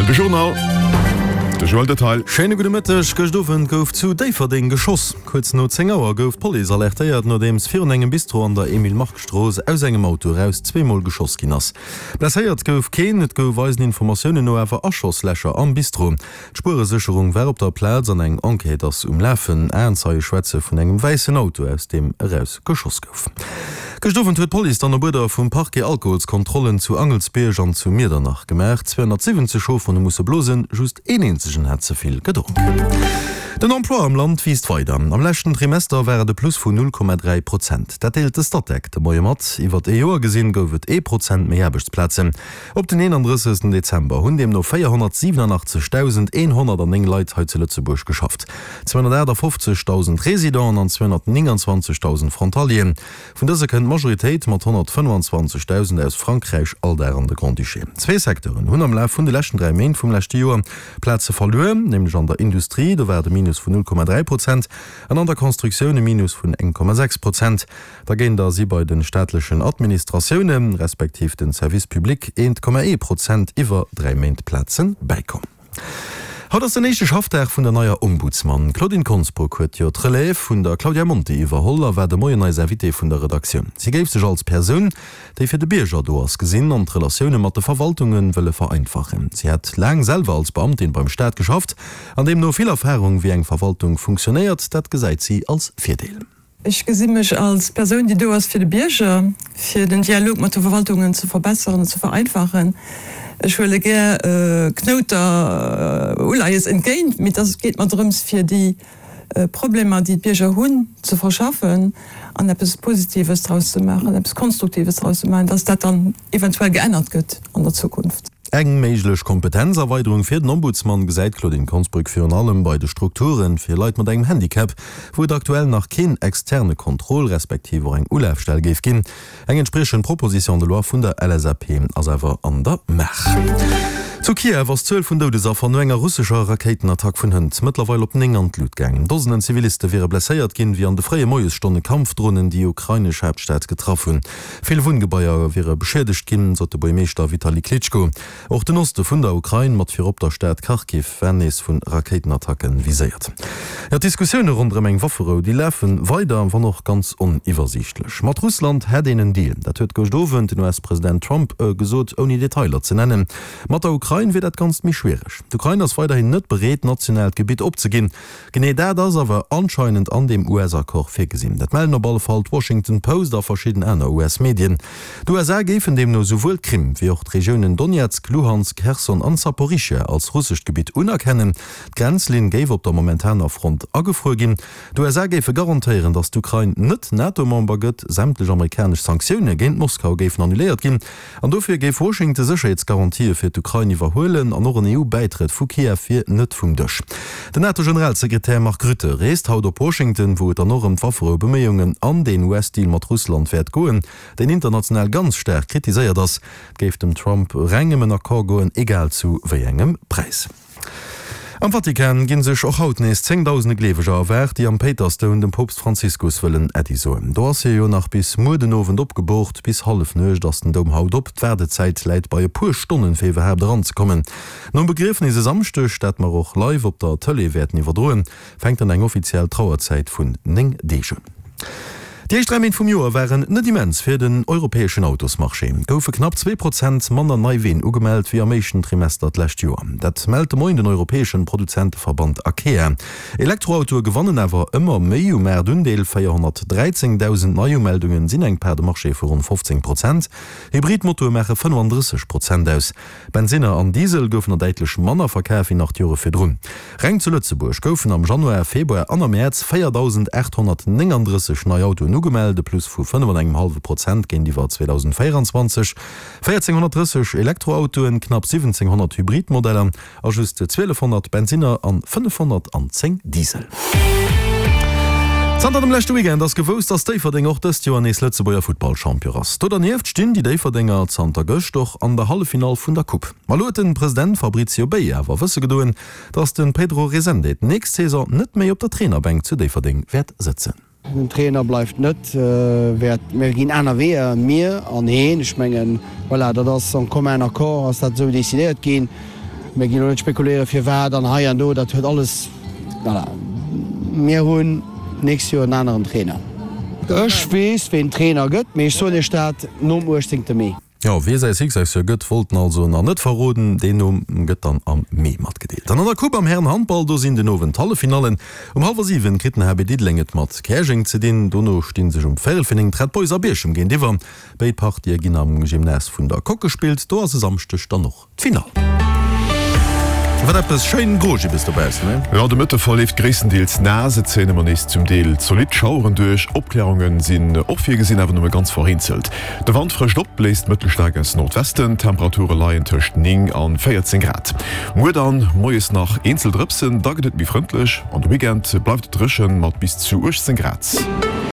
Rtl de Journal, de Joël Detail. Schéine gudde Mëtteg. Gëscht Owend gouf zu Déifferdeng geschoss. Kuerz no 10 Auer gouf d'Police alertéiert, nodeems virun engem Bistro an der Emile-Mark-Strooss aus engem Auto eraus zweemol geschoss ginn ass. Blesséiert gouf keen, et gouf eisen Informatiounen no awer Aschosslächer am Bistro. D'Spueresécherung war op der Plaz an eng Enquête ass um Lafen. Aenzeie schwätze vun engem wäissen Auto, aus deem eraus geschoss gouf. Gëscht Owend huet d'Police dann op Uerder vum Parquet Alkoholskontrollen zu Angelsbierg an zu Miedernach gemaach. 270 Chaufferen hu musse blosen, just een eenzegen hat ze vill gedronk. Den Emploi am Land wiisst weider. Am leschten Trimester war et e Plus vun 0,3 Prozent. Dat deelt de Statec de Moie mat. Iwwert ee Joer gesinn gouf et ee Prozent méi Aarbechtsplazen. Op den 31. Dezember hunn deemno 487.109 Leit hei zu Lëtzebuerg geschafft, 258.000 Residenten an 229.000 Frontalieren. Vun dëse kënnt d'Majoritéit mat 125.000 aus Frankräich all Dag an de Grand-Duché. Zwee Secteuren hunn am Laf vun de leschten 3 Méint vum leschte Joer Plaze verluer, nämlech an der Industrie, do war et e Minus vun 0,3 Prozent, an an der Constructioun e Minus vun 1,6 Prozent. Dergéinter si bei de staatlechen Administratioune respektiv den Services publics 1,1 Prozent iwwer 3 Méint Plaze bäikomm. Haut ass den éischte Schaffdag vun der neier Ombudsman. D'Claudine Konsbruck huet jo d'Relève vun der Claudia Monti iwwerholl a war de Moien eis Invitée vun der Redaktioun. Si géif sech als Persoun, déi fir de Bierger do ass, gesinn an d'Relatioune mat de Verwaltunge wëlle vereinfachen. Si hätt laang selwer als Beamtin beim Staat geschafft an deemno vill Erfarung, wéi eng Verwaltung funktionéiert. Dat gesäit si als Virdeel. Ech gesi mech als Persoun, déi do ass fir de Bierger, fir den Dialog mat de Verwaltungen ze verbesseren an ze vereinfachen. Ech huele gär Knouter Uleies entgéint, mee et geet mer drëms, fir déi Problemer, déi d'Bierger hunn, ze verschaffen an eppes Positives draus ze maachen, eppes Konstruktives draus ze maachen, dass dat dann eventuell geännert gëtt an der Zukunft. Eng méiglech Kompetenzerweiderung fir den Ombudsman gesäit d'Claudine Konsbrück virun allem bei de Strukture fir Leit mat engem Handicap, wou et aktuell nach keen externe Contrôle respektiv och eng Ulafstell géif ginn. Eng entspriechend Proposition de loi vun der LSAP ass awer an der Maach. Zu Kiew ass d'Zuel vun Doudesaffer no enger russescher Rakéitenattack vun hënt mëttlerweil op 9 an d'Lut gaangen. Dosenden Ziviliste wiere blesséiert ginn, wéi an de fréie Moiesstonne Kampfdronen déi ukrainesch Haaptstad getraff hunn. Vill Wunngebaier wiere beschiedegt ginn, sot de Buergmeeschter Vitali Klitschko. Och den Oste vun der Ukrain, mat virop der Stad Kharkiv, war nees vu Rakéitenattacke viséiert. Jo, d'Diskussioune ronderëm eng Wafferou, déi lafe weider, wann och ganz oniwwersiichtlech. Mat Russland hätt een en Deal, dat huet gëscht Owend den US-President Trump gesot, ouni Detailer ze nennen. Mat der Ukrain wier dat Ganzt méi schwiereg. D'Ukrain ass weiderhin net bereet, nationaalt Gebitt opzeginn. Genee dat ass awer anscheinend an deem US-Accord virgesinn. Dat mellen op alle Fall d'Washington Post a verschidden aner US-Medien. D'USA géifen deemno souwuel d'Krim wéi och d'Regiounen Donezk, Luhansk, Cherson an Saporischschja als russescht Gebitt unerkennen. D'Grenzlinn géif op der momentaner Front agefruer ginn. D'USA géife garantéieren, datt d'Ukrain net NATO-Member gëtt. Sämtlech amerikanesch Sanktioune géint Moskau géifen annuléiert ginn. An dofir géif Washington Sécherheetsgarantië fir d'Ukrain iwwerhuelen an och en EU-Bäitrëtt vu Kiew wier net vum Dësch. Den NATO-Generalsekretär Mark Rutte reest haut op Washington, wou et dann och ëm d'Wafferoubeméiungen an den US-Deal mat Russland wäert goen, deen international ganz staark kritiséiert ass. Et géif dem Trump reng ëm en Accord goen, egal zu wéi engem Präis. Am Vatikan ginn sech och haut nees zéngdausende Gleeweger erwaart, déi am Péitersdoum dem Poopst Franziskus wëllen Äddi soen. Do ass hie jo nach bis muer den Owend opgeboort. Bis Hallefnuecht ass den Doum haut op. D'Waardezäit läit bei e puer Stonnen, fir iwwerhaapt eranzekommen. Nom Begriefnis e Samschdeg, dat mer och live op der Tëlee wäerten iwwerdroen, fänkt dann eng offiziell Trauerzäit vun 9 Deeg un. Déi éischt 3 Méint vum Joer waren net immens fir den europäeschen Autosmarché. Et goufe knapp 2 Prozent manner nei Ween ugemellt wéi am éischten Trimester d'lescht Joer. Dat mellt de Moien den europäeschen Produzenteverband Acea. Elektroautoe gewannen awer ëmmer méi u Maartundeel, 413.000 Neiumeldungen sinn eng Part de marché vu ronn 15 Prozent. Hybridmotoe maache 35 Prozent aus. Bensinner an Diesel goufen der däitlech manner verkaf wéi nach d'Jore virdrun. Reng zu Lëtzebuerg goufen am Januar, Februar an am Mäerz 4.839 nei Autoen ugemellt, e Plus vu 5 an engem hallwe Prozent géintiwwer 2024. 1.430 Elektroautoen, knapp 1.700 Hybridmodeller A just 1200 Bensinner an 510 Diesel. Zanter dem leschte Weekend ass gewousst, dass Déifferdeng och dëst Joer nees Lëtzebuerger Futtballchampion ass. Do dernieft stinn déi Déifferdenger zanter gëscht och an der Halleffinall vun der Coupe. Ma elo huet de President Fabrizio Bei awer wësse gedoen, dass de Pedro Resende d'nächst Saison net méi op der Trainerbänk zu Déifferdeng wäert sëtzen. Den Trainer bleift net, wäert, mir ginn aner Weeër, mir an heen. Ech mengen, voilà, dat ass en commun accord ass dat esou decidéiert ginn. Mir ginn elo net spekuléiere firwat an hei an do, dat huet alles, voilà. Mir hunn d'nächst Joer en aneren Trainer. Ech weess ween Trainer gëtt, mee ech soen Iech dat nom 18 Mee. Jo, wee säi Successeur gëtt, wollt en also nach net verroden. Deen Numm gëtt dann am Mee matgedeelt. An an der Coupe am Hären-Handball, do sinn den Owend d'Halleffinallen. Um hallwer 7 kritt den HB Diddeleng et mat Käerjeng ze dinn. Dono sti sech um véierel fir 9 d'Red Boys a Bierchem géintiwwer. Béid Partië ginn am Gymnase vun der Coque gespillt. Do ass e Samschdeg dann och D'Finall. Wat eppes schéin Grogibbes dobaussen, he? Jo, de Mëtte verleeft gréisstendeels naass, et zéien ëmmer nees zum Deel zolidd Schaueren duerch. Opklärunge sinn och virgesinn, awer nëmme ganz vereenzelt. De Wand frëscht op, bléist mëttelstaark aus Nordwesten, d'Temperature leien tëscht 9 an 14 Grad. Muer dann moies nach eenzel Drëpsen, da gëtt et méi frëndlech an de Weekend bleift et dréchen mat bis zu 18 Grad.